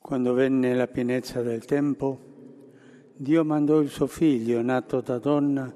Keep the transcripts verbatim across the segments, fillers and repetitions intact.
Quando venne la pienezza del tempo, Dio mandò il suo figlio, nato da donna,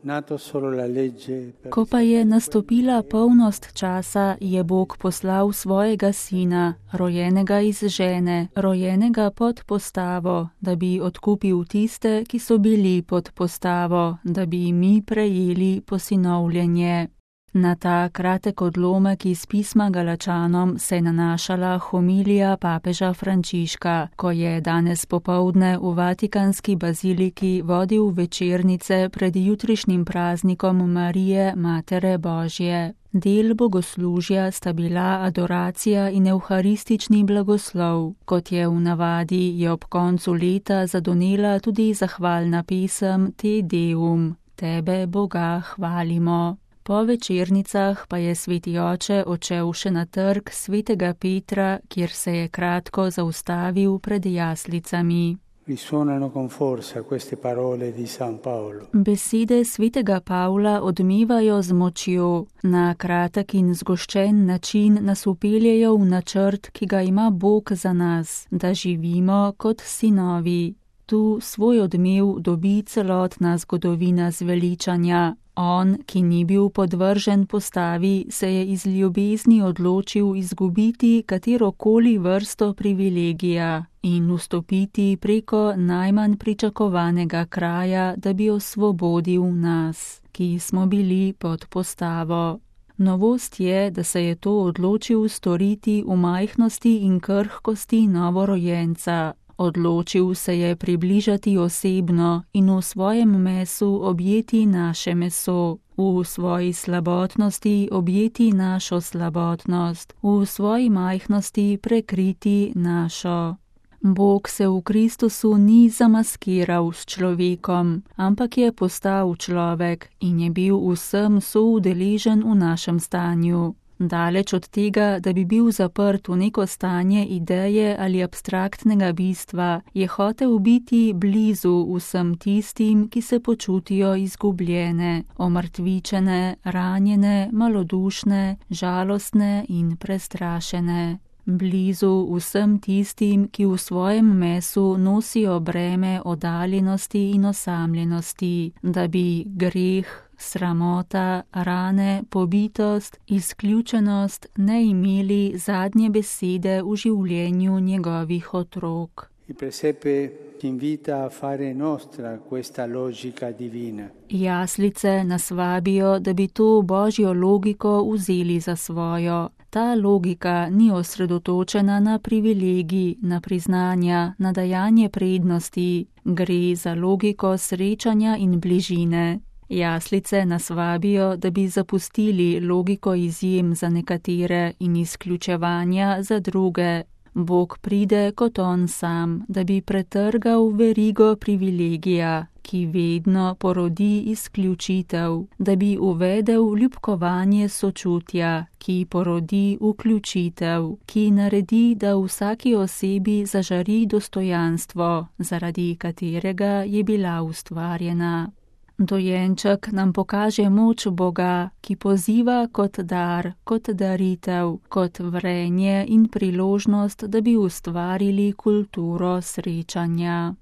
nato solo la legge. Ko pa je nastopila polnost časa, je Bog poslal svojega sina, rojenega iz žene, rojenega pod postavo, da bi odkupil tiste, ki so bili pod postavo, da bi mi prejeli posinovljenje. Na ta kratek odlomek iz pisma Galačanom se je nanašala homilija papeža Frančiška, ko je danes popoldne v Vatikanski baziliki vodil večernice pred jutrišnjim praznikom Marije, Matere Božje. Del bogoslužja sta bila adoracija in evharistični blagoslov. Kot je v navadi, je ob koncu leta zadonela tudi zahvalna pesem Te Deum, Tebe, Boga, hvalimo. Po večernicah pa je sveti oče odšel še na trg svetega Petra, kjer se je kratko zaustavil pred jaslicami. Risuonano con forza queste parole di San Paolo. Besede svetega Pavla odmevajo z močjo. Na kratek in zgoščen način nas upeljejo v načrt, ki ga ima Bog za nas, da živimo kot sinovi. Tu svoj odmev dobi celotna zgodovina zveličanja. On, ki ni bil podvržen postavi, se je iz ljubezni odločil izgubiti katerokoli vrsto privilegija in vstopiti preko najmanj pričakovanega kraja, da bi osvobodil nas, ki smo bili pod postavo. Novost je, da se je to odločil storiti v majhnosti in krhkosti novorojenca. Odločil se je približati osebno in v svojem mesu objeti naše meso, v svoji slabotnosti objeti našo slabotnost, v svoji majhnosti prekriti našo. Bog se v Kristusu ni zamaskiral s človekom, ampak je postal človek in je bil vsem soudeležen v našem stanju. Daleč od tega, da bi bil zaprt v neko stanje ideje ali abstraktnega bistva, je hotel biti blizu vsem tistim, ki se počutijo izgubljene, omrtvičene, ranjene, malodušne, žalostne in prestrašene. Blizu vsem tistim, ki v svojem mesu nosijo breme oddaljenosti in osamljenosti, da bi greh, sramota, rane, pobitost, izključenost ne imeli zadnje besede v življenju njegovih otrok. Il presepe ci invita a fare nostra questa logica divina. Jaslice nas vabijo, da bi to božjo logiko vzeli za svojo. Ta logika ni osredotočena na privilegij, na priznanja, na dajanje prednosti. Gre za logiko srečanja in bližine. Jaslice nas vabijo, da bi zapustili logiko izjem za nekatere in izključevanja za druge. Bog pride kot on sam, da bi pretrgal verigo privilegija, ki vedno porodi izključitev, da bi uvedel ljubkovanje sočutja, ki porodi vključitev, ki naredi, da vsaki osebi zažari dostojanstvo, zaradi katerega je bila ustvarjena. Dojenček nam pokaže moč Boga, ki poziva kot dar, kot daritev, kot vrenje in priložnost, da bi ustvarili kulturo srečanja.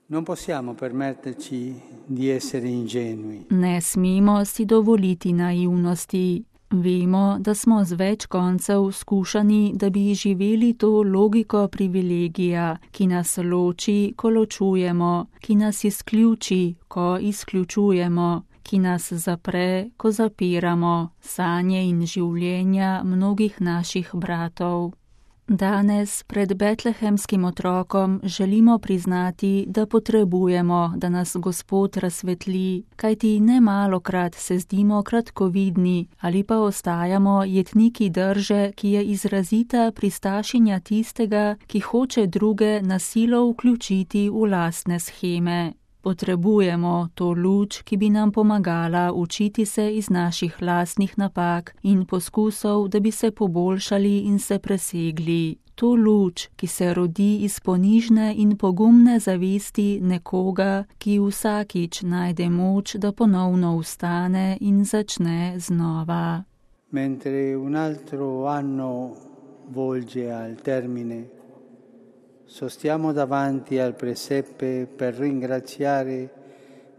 Non possiamo permetterci di essere ingenui. Ne smemo si dovoliti naivnosti. Vemo, da smo z več koncev skušani, da bi živeli to logiko privilegija, ki nas loči, ko ločujemo, ki nas izključi, ko izključujemo, ki nas zapre, ko zapiramo, sanje in življenja mnogih naših bratov. Danes pred betlehemskim otrokom želimo priznati, da potrebujemo, da nas Gospod razsvetli, kajti nemalokrat se zdimo kratkovidni ali pa ostajamo jetniki drže, ki je izrazita pristašenja tistega, ki hoče druge na silo vključiti v lastne sheme. Potrebujemo to luč, ki bi nam pomagala učiti se iz naših lastnih napak in poskusov, da bi se poboljšali in se presegli. To luč, ki se rodi iz ponižne in pogumne zavesti nekoga, ki vsakič najde moč, da ponovno vstane in začne znova. Mentre un altro anno volge al termine, sostiamo davanti al presepe per ringraziare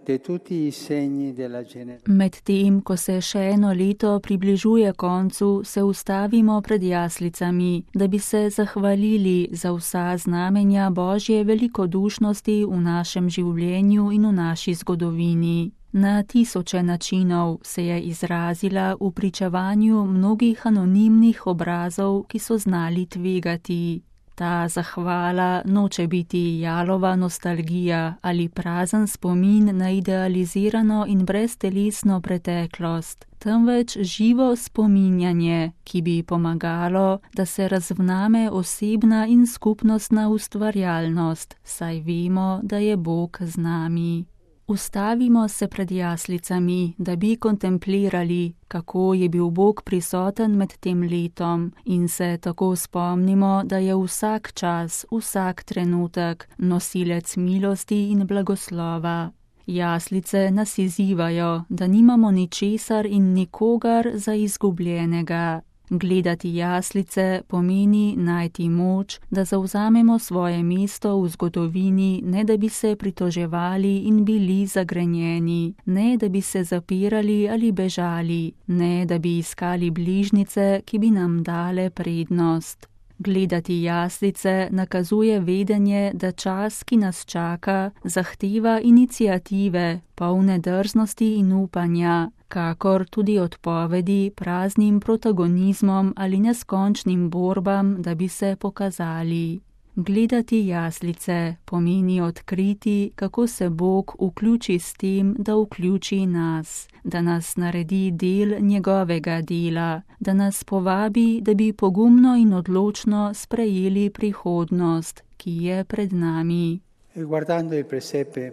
de tutti i segni della generosità. Medtem, ko se še eno leto približuje koncu, se ustavimo pred jaslicami, da bi se zahvalili za vsa znamenja Božje velikodušnosti v našem življenju in v naši zgodovini. Na tisoče načinov se je izrazila v pričevanju mnogih anonimnih obrazov, ki so znali tvegati. Ta zahvala noče biti jalova nostalgija ali prazen spomin na idealizirano in breztelesno preteklost, temveč živo spominjanje, ki bi pomagalo, da se razvname osebna in skupnostna ustvarjalnost, saj vemo, da je Bog z nami. Ustavimo se pred jaslicami, da bi kontemplirali, kako je bil Bog prisoten med tem letom in se tako spomnimo, da je vsak čas, vsak trenutek nosilec milosti in blagoslova. Jaslice nas izzivajo, da nimamo ničesar in nikogar za izgubljenega. Gledati jaslice pomeni najti moč, da zavzamemo svoje mesto v zgodovini, ne da bi se pritoževali in bili zagrenjeni, ne da bi se zapirali ali bežali, ne da bi iskali bližnjice, ki bi nam dale prednost. Gledati jaslice nakazuje vedenje, da čas, ki nas čaka, zahteva iniciative, polne drznosti in upanja, kakor tudi odpovedi praznim protagonizmom ali neskončnim borbam, da bi se pokazali. Gledati jaslice pomeni odkriti, kako se Bog vključi s tem, da vključi nas, da nas naredi del njegovega dela, da nas povabi, da bi pogumno in odločno sprejeli prihodnost, ki je pred nami. E guardando il presepe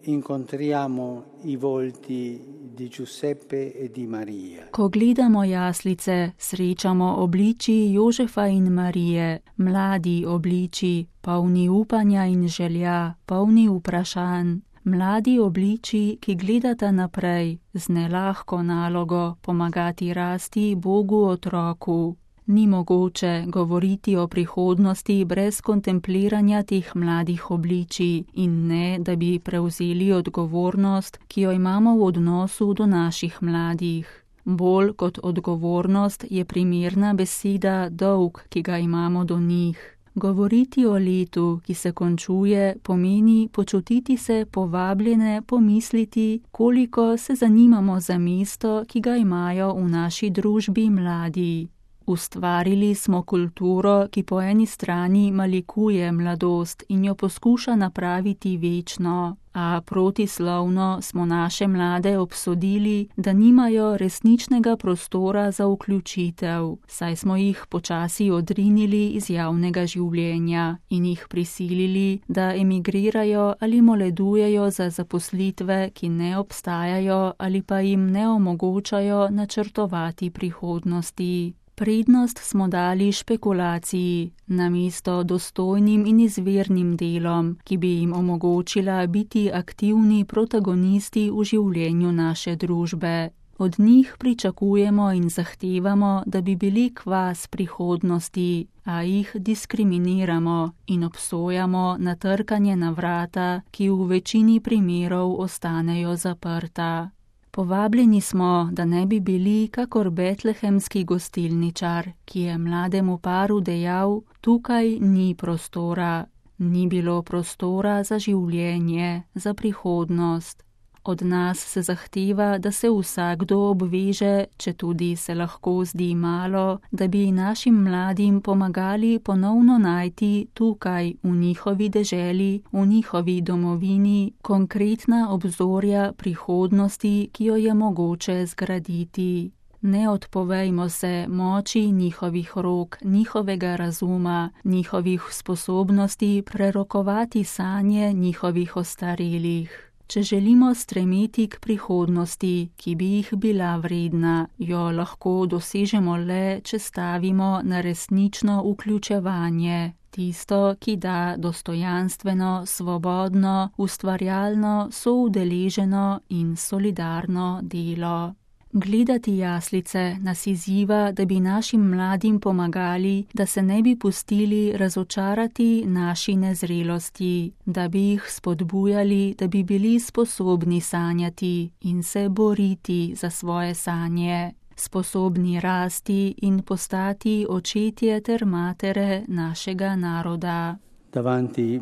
incontriamo i volti di Giuseppe e di Maria. Ko gledamo jaslice, srečamo obliči Jožefa in Marije, mladi obliči, polni upanja in želja, polni vprašanj. Mladi obliči, ki gledata naprej, z nelahko nalogo pomagati rasti Bogu otroku. Ni mogoče govoriti o prihodnosti brez kontempliranja teh mladih obličij in ne, da bi prevzeli odgovornost, ki jo imamo v odnosu do naših mladih. Bolj kot odgovornost je primerna beseda dolg, ki ga imamo do njih. Govoriti o letu, ki se končuje, pomeni počutiti se povabljene, pomisliti, koliko se zanimamo za mesto, ki ga imajo v naši družbi mladi. Ustvarili smo kulturo, ki po eni strani malikuje mladost in jo poskuša napraviti večno, a protislovno smo naše mlade obsodili, da nimajo resničnega prostora za vključitev, saj smo jih počasi odrinili iz javnega življenja in jih prisilili, da emigrirajo ali moledujejo za zaposlitve, ki ne obstajajo ali pa jim ne omogočajo načrtovati prihodnosti. Prednost smo dali špekulaciji, namesto dostojnim in izvirnim delom, ki bi jim omogočila biti aktivni protagonisti v življenju naše družbe. Od njih pričakujemo in zahtevamo, da bi bili kvas prihodnosti, a jih diskriminiramo in obsojamo na trkanje na vrata, ki v večini primerov ostanejo zaprta. Povabljeni smo, da ne bi bili kakor betlehemski gostilničar, ki je mlademu paru dejal, tukaj ni prostora. Ni bilo prostora za življenje, za prihodnost. Od nas se zahteva, da se vsakdo obveže, če tudi se lahko zdi malo, da bi našim mladim pomagali ponovno najti tukaj, v njihovi deželi, v njihovi domovini, konkretna obzorja prihodnosti, ki jo je mogoče zgraditi. Ne odpovejmo se moči njihovih rok, njihovega razuma, njihovih sposobnosti prerokovati sanje njihovih ostarelih. Če želimo stremeti k prihodnosti, ki bi jih bila vredna, jo lahko dosežemo le, če stavimo na resnično vključevanje, tisto, ki da dostojanstveno, svobodno, ustvarjalno, soudeleženo in solidarno delo. Gledati jaslice nas izziva, da bi našim mladim pomagali, da se ne bi pustili razočarati naši nezrelosti, da bi jih spodbujali, da bi bili sposobni sanjati in se boriti za svoje sanje, sposobni rasti in postati očetje ter matere našega naroda. Davanti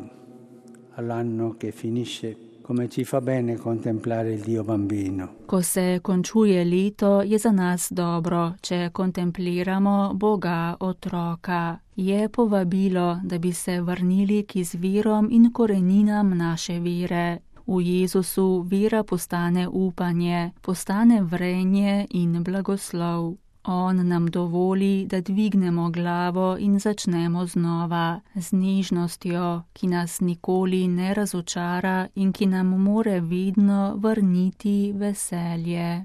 all'anno che finisce, come ci fa bene contemplare il Dio bambino. Ko se končuje leto, je za nas dobro, če kontempliramo Boga otroka. Je povabilo, da bi se vrnili k izvirom in koreninam naše vere. V Jezusu vera postane upanje, postane vrenje in blagoslov. On nam dovoli, da dvignemo glavo in začnemo znova, z nežnostjo, ki nas nikoli ne razočara in ki nam more vedno vrniti veselje.